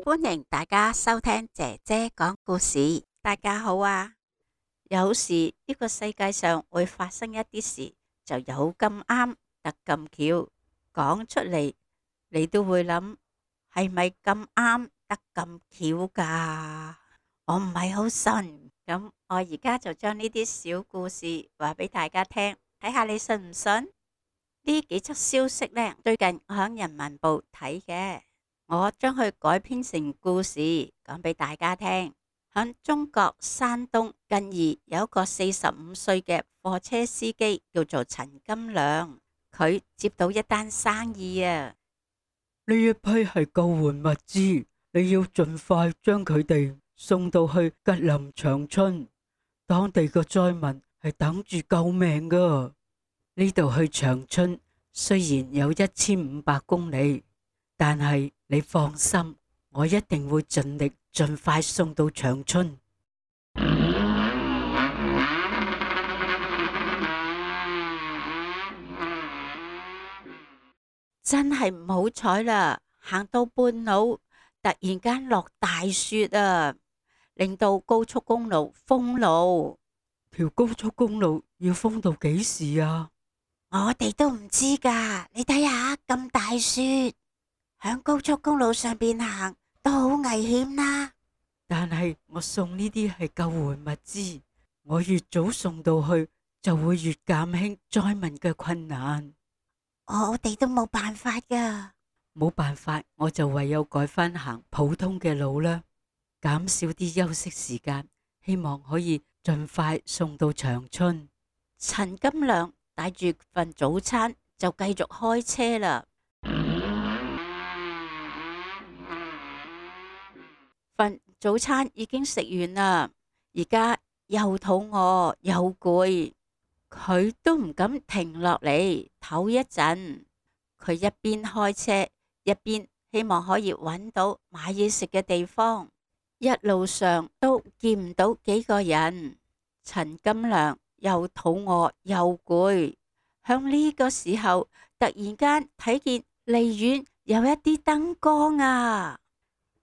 歡迎大家收聽姐姐講故事。大家好啊！有時呢個世界上會發生一啲事，就有咁啱得咁巧，講出嚟你都會諗，係咪咁啱得咁巧噶？我唔係好信，咁我而家就將呢啲小故事話俾大家聽，睇下你信唔信？呢幾則消息呢，最近我喺人民報睇嘅，我將佢改編成故事講俾大家聽。喺中國山東近義有一個45歲嘅貨車司機叫做陳金亮，佢接到一單生意啊！呢一批係救援物資，你要盡快將佢哋送到去吉林長春，當地嘅災民係等住救命噶。呢度去長春雖然有1500公里，但係你放心，我一定會盡力盡快送到長春。真係唔好彩啦，行到半路突然間落大雪啊，令到高速公路封路。條高速公路要封到幾時啊？我哋都唔知噶，你睇下咁大雪，響高速公路上邊行都好危險啦。但係我送呢啲係救援物資，我越早送到去就會越減輕災民嘅困難。我哋都冇辦法噶，冇辦法，我就唯有改返行普通嘅路啦，減少啲休息時間，希望可以盡快送到長春。陳金亮帶住份早餐就繼續開車啦。份早餐已經食完啦，而家又肚餓又攰，佢都唔敢停落嚟唞一陣。佢一邊開車一邊希望可以揾到買嘢食嘅地方。一路上都見唔到幾個人，陳金亮又肚餓又攰。響呢個時候，突然間睇見離遠有一啲燈光啊！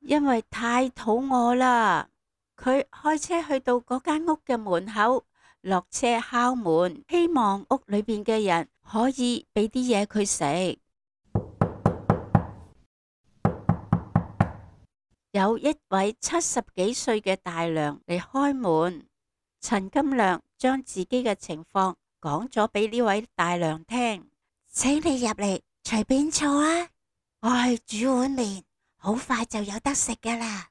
因為太肚餓啦，佢開車去到嗰間屋嘅門口，落車敲門，希望屋裏邊嘅人可以俾啲嘢佢食。有一位70幾歲嘅大娘嚟開門，陳金亮將自己嘅情況講咗俾呢位大娘聽，請你入嚟，隨便坐啊，我去煮碗麵，好快就有得食噶啦。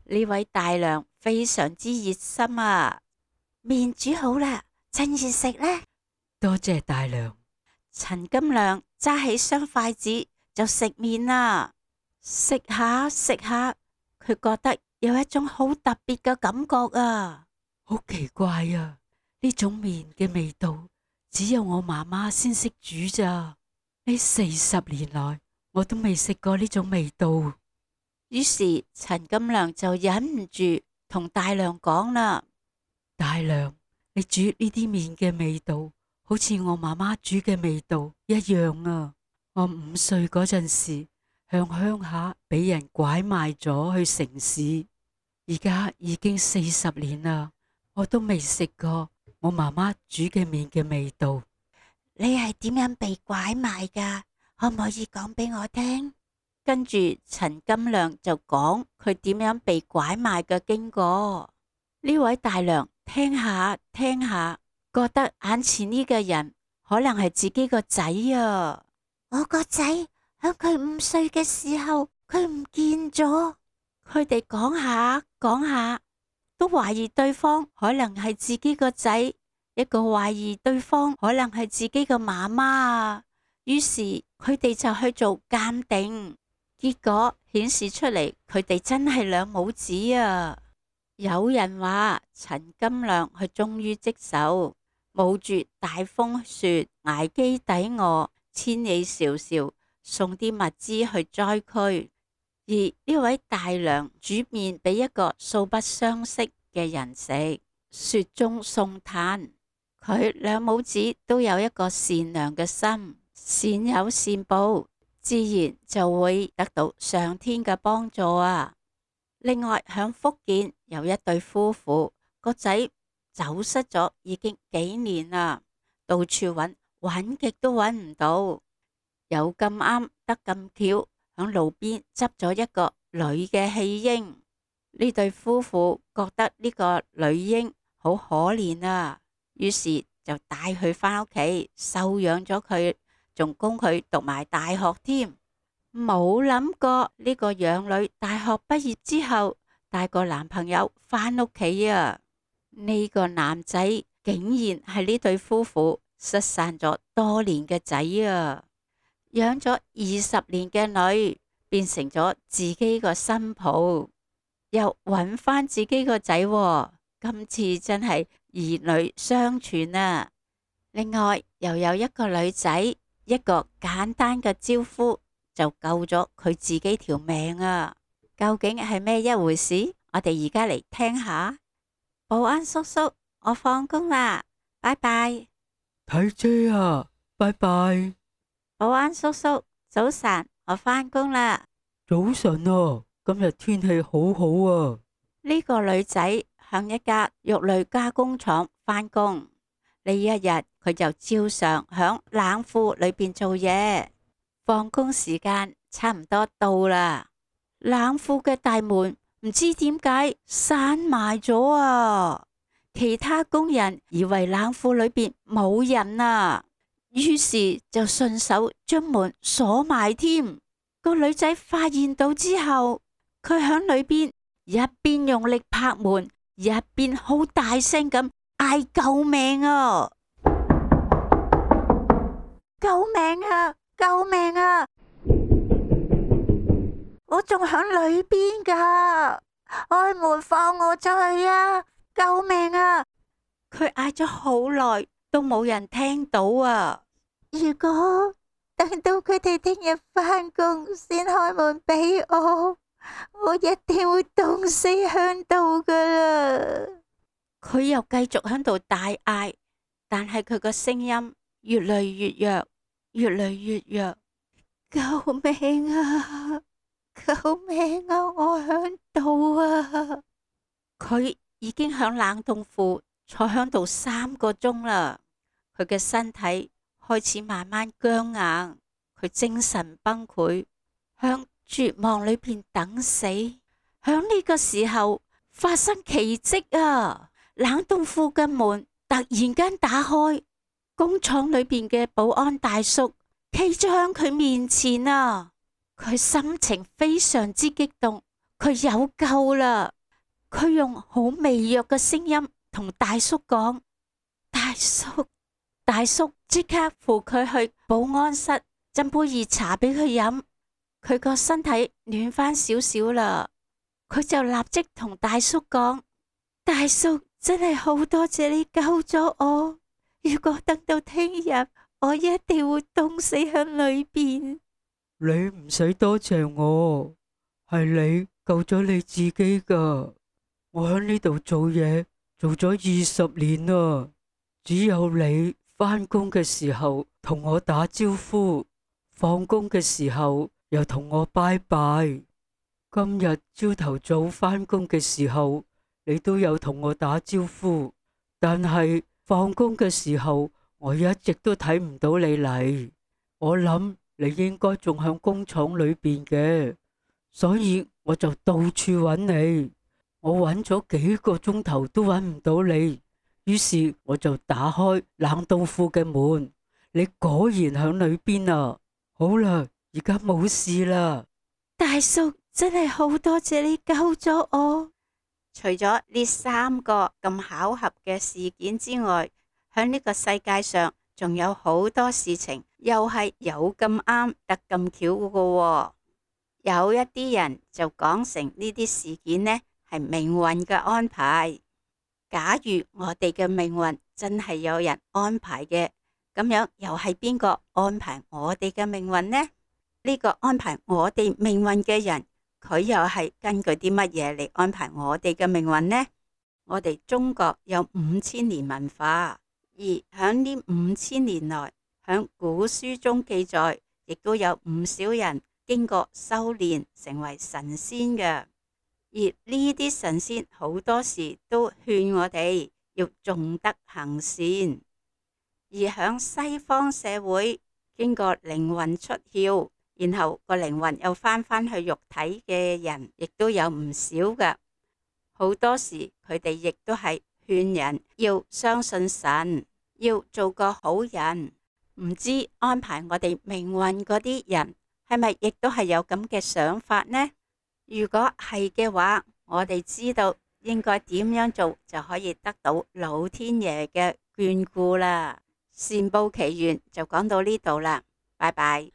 呢位大娘非常之熱心啊，麵煮好啦，趁熱食呢。多謝大娘。陳金亮揸起雙筷子就食麵啦，食下食下，佢覺得有一種好特別嘅感覺啊，好奇怪啊！呢種麵嘅味道只有我媽媽先識煮咋，呢40年來我都未食過呢種味道。於是陳金亮就忍唔住同大娘講啦：大娘，你煮呢啲麵嘅味道好似我媽媽煮嘅味道一樣啊！我5歲嗰陣時向鄉下俾人拐賣咗去城市，而家已經40年啦，我都未食過我媽媽煮嘅麵嘅味道。你係點樣被拐賣噶？可唔可以講俾我聽？跟住陳金亮就講佢點樣被拐賣嘅經過。呢位大娘聽下聽下，覺得眼前呢個人可能係自己個仔啊！我個仔響佢5歲嘅時候，佢唔見咗。佢哋講下講下，都懷疑對方可能係自己個仔，一個懷疑對方可能係自己個媽媽啊。於是佢哋就去做鑑定。結果顯示出嚟，佢哋真係兩母子啊！有人話陳金亮佢終於積手，冒住大風雪，捱飢抵餓，千里迢迢送啲物資去災區。而呢位大娘煮麵俾一個素不相識嘅人食，雪中送炭。佢兩母子都有一個善良嘅心，善有善報，自然就會得到上天嘅幫助啊！另外，響福建有一對夫婦，個仔走失咗已經幾年啦，到處揾，揾極都揾唔到。有咁啱得咁巧，響路邊執咗一個女嘅棄嬰。呢對夫婦覺得呢個女嬰好可憐啊，於是就帶佢返屋企收養咗佢，仲供佢讀埋大學添。冇諗過呢個養女大學畢業之後帶個男朋友返屋企啊！呢個男仔竟然係呢對夫婦失散咗多年嘅仔啊！養咗20年嘅女變成咗自己個新抱，又揾返自己個仔喎，今次真係兒女雙全啊！另外又有一個女仔，一個簡單嘅招呼就救咗佢自己條命啊！究竟係咩一回事？我哋而家嚟聽下。保安叔叔，我放工啦，拜拜。睇姐啊，拜拜。保安叔叔，早晨，我返工啦。早晨啊，今日天氣好好啊。呢個女仔向一家肉類加工廠返工，呢一日佢就照常響冷庫裏邊做嘢。放工時間差唔多到啦，冷庫嘅大門唔知點解閂埋咗啊！其他工人以為冷庫裏邊冇人啊，於是就順手將門鎖埋添。個女仔發現到之後，佢響裏邊一邊用力拍門，一邊好大聲咁嗌救命啊！救命啊！救命啊！我仲響裏邊噶，開門放我出去啊！救命啊！佢嗌咗好耐都冇人聽到啊！如果等到佢哋聽日返工先開門俾我，我一定會凍死響度噶啦！佢又繼續響度大嗌，但係佢個聲音越嚟越弱，越嚟越弱。救命啊！救命啊！我響度啊！佢已經響冷凍庫坐響度3個鐘啦，佢嘅身體開始慢慢僵硬，佢精神崩潰，響絕望裏邊等死。響呢個時候發生奇蹟啊！冷凍庫嘅門突然間打開，工廠裏邊嘅保安大叔企咗響佢面前啊！佢心情非常之激動，佢有救啦！佢用好微弱嘅聲音同大叔講：大叔，大叔即刻扶佢去保安室斟杯熱茶俾佢飲。佢個身體暖翻少少啦，佢就立即同大叔講：大叔，真係好多謝你救咗我，如果等到聽日，我一定會凍死喺裏邊。你唔使多謝我，係你救咗你自己噶。我喺呢度做嘢做咗20年啦，只有你返工嘅時候同我打招呼，放工嘅時候又同我拜拜。今日朝頭早返工嘅時候，你都有同我打招呼，但係放工嘅時候，我一直都睇唔到你嚟。我諗你應該仲響工廠裏邊嘅，所以我就到處揾你。我揾咗幾個鐘頭都揾唔到你，於是我就打開冷凍庫嘅門，你果然響裏邊啊！好啦，而家冇事啦。大叔，真係好多謝你救咗我。除咗呢3個咁巧合嘅事件之外，響呢個世界上仲有好多事情又係有咁啱得咁巧嘅喎。有一啲人就講成呢啲事件呢係命運嘅安排。假如我哋嘅命運真係有人安排嘅，咁樣又係邊個安排我哋嘅命運呢？呢個安排我哋命運嘅人，佢又係根據啲乜嘢嚟安排我哋嘅命運呢？我哋中國有5000年文化，而響呢5000年來，響古書中記載，亦都有唔少人經過修煉成為神仙嘅。而呢啲神仙好多時都勸我哋要重德行善。而響西方社會，經過靈魂出竅，然後個靈魂又翻去肉體嘅人，亦都有唔少㗎。好多時佢哋亦都係勸人要相信神，要做個好人。唔知安排我哋命運嗰啲人係咪亦都係有咁嘅想法呢？如果係嘅話，我哋知道應該點樣做就可以得到老天爺嘅眷顧啦。善報奇緣就講到呢度啦，拜拜。